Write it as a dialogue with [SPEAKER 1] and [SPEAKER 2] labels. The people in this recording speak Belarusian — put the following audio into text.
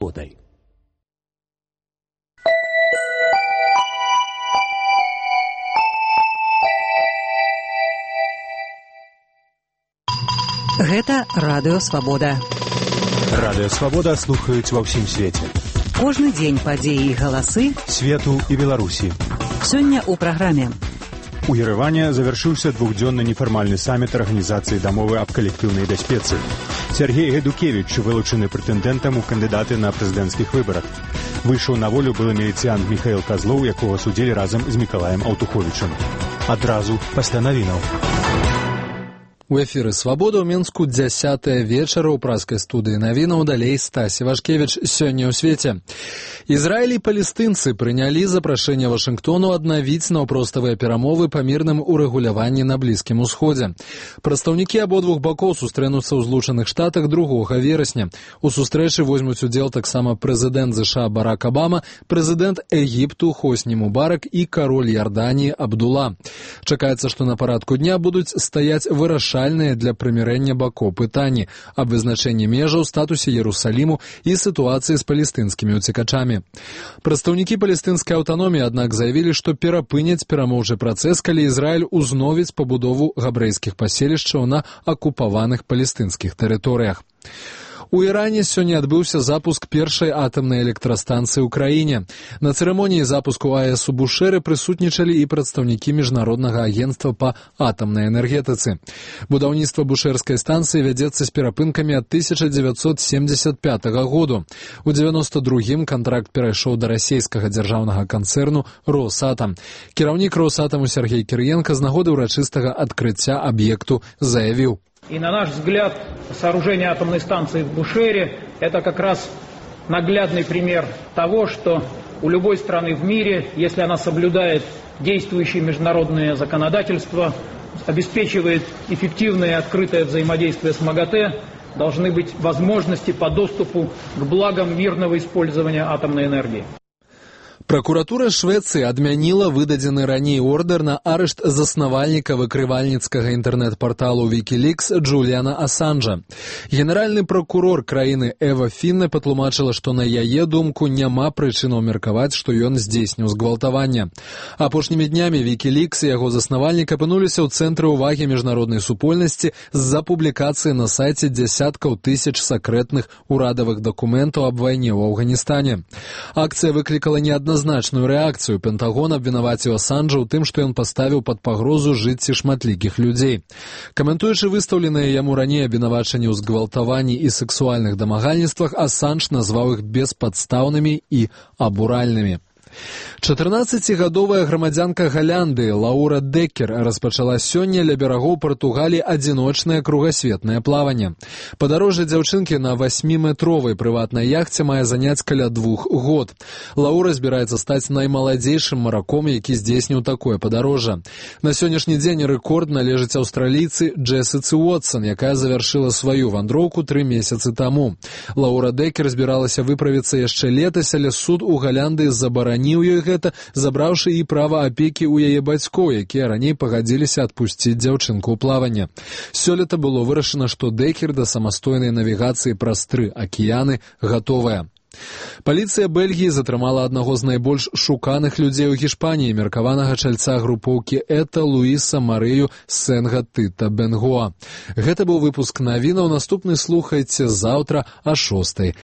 [SPEAKER 1] Подай.
[SPEAKER 2] Гэта Радыё Свабода.
[SPEAKER 3] Радыё Свабода слухаюць ва ўсім свеце.
[SPEAKER 2] Кожны дзень падзеі і галасы
[SPEAKER 3] свету і Беларусі.
[SPEAKER 2] Сёння ў праграме.
[SPEAKER 3] У Ереване завяршыўся двухдзённы нефармальны саміт Арганізацыі дамовы аб калектыўнай бяспецы. Сергей Гайдукевич вылучаны прэтэндэнтам у кандыдаты на прэзідэнцкіх выбарах. Выйшаў на волю былы міліцыянт Міхаіл Казлоў, якога судзілі разам з Мікалаем Аўтуховічам. Адразу пасля навінаў.
[SPEAKER 4] У эфіры «Свабода» ў Мінску 10 вечара ў праскай студыі навінаў, далей Стась Івашкевіч. Сёння ў свеце. Ізраіль і палестынцы прынялі запрашэнне Вашынгтону аднавіць наўпроставыя перамовы па мірным урэгуляванні на Блізкім Усходзе. Прадстаўнікі абодвух бакоў сустрэнуцца ў Злучаных Штатах 2 верасня. У сустрэчы возьмуць удзел таксама прэзідэнт ЗША Барак Абама, прэзідэнт Егіпту Хосні Мубарак і кароль Ярданіі Абдула. Чакаецца, што на парадку дня будуць стаяць вырашальныя для прымірэння бакоў пытанні аб вызначэнні межаў, статусе Иерусалиму і сітуацыі з палестынскімі уцекачамі. Прадстаўнікі палестынскай аўтаноміі, аднак, заявілі, што перапыняць перамоўчы працэс, калі Ізраіль узновіць пабудову габрэйскіх паселішчаў на акупаваных палестынскіх тэрыторыях. У Іране сёння адбыўся запуск першай атамнай электрастанцыі ў краіне. На цырымоніі запуску АЭС у Бушэры прысутнічалі і прадстаўнікі Міжнароднага агенцтва па атамнай энергетыцы. Будаўніцтва бушэрскай станцыі вядзецца з перапынкамі ад 1975 году. У 92-м кантракт перайшоў да расійскага дзяржаўнага канцэрну «Росатам». Кіраўнік «Росатаму» Сергей Кірыенка з нагоды ўрачыстага адкрыцця аб'екту заявіў:
[SPEAKER 5] И на наш взгляд, сооружение атомной станции в Бушере – это как раз наглядный пример того, что у любой страны в мире, если она соблюдает действующее международное законодательство, обеспечивает эффективное и открытое взаимодействие с МАГАТЭ, должны быть возможности по доступу к благам мирного использования атомной энергии.
[SPEAKER 4] Пракуратура Швецыі адмяніла выдадзены раней ордэр на арышт заснавальніка выкрывальніцкага інтэрнэт-парталу Wikileaks Джуліана Асанжа. Генеральны пракурор краіны Эва Фінне патлумачыла, што на яе думку няма прычынаў меркаваць, што ён здзейсніў згвалтаванне. Апошнімі днямі Wikileaks і яго заснавальнік апынуліся ў цэнтры ўвагі міжнароднай супольнасці з-за публікацыі на сайце дзясяткаў тысяч сакрэтных урадавых дакументаў аб вайне ў Афганістане. Акцыя выклікала неадназначную рэакцыю. Пентагон абвінаваціў Асанжа ў тым, што ён паставіў пад пагрозу жыцці шматлікіх людзей. Каментуючы выстаўленыя яму раней абвінавачанні ў згвалтаванні і сексуальных дамагальніцтвах, Асанж назваў іх беспадстаўнымі і абуральнымі. 14-гадовая грамадзянка Галандыі Лаура Деккер распачала сёння ля берагоў Партугаліі адзіночнае кругасветнае плаванне. Падарожжа дзяўчынкі на 8-метровай прыватнай яхце мае заняць каля 2 год. Лаура збіраецца стаць наймаладзейшым мараком, які здзейсніў такое падарожжа. На сённяшні дзень рэкорд належыць аўстралійцы Джесіцы Уотсон, якая завяршыла сваю вандроўку 3 месяцы таму. Лаура Деккер збіралася выправіцца яшчэ летась, але суд у Галандыі забараніў ёй гэта, забраўшы і права апекі ў яе бацькоў, якія раней пагадзіліся адпусціць дзяўчынку ў плаванне. Сёлета было вырашана, што Деккер да самастойнай навігацыі праз 3 акіяны гатовая. Паліцыя Бельгіі затрымала аднаго з найбольш шуканых людзей у Гішпаніі, меркаванага чальца групоўкі ЭТА Луіса Марыю Сенга Тыта Бенгоа. Гэта быў выпуск навінаў. Наступны слухайце заўтра о 6:00.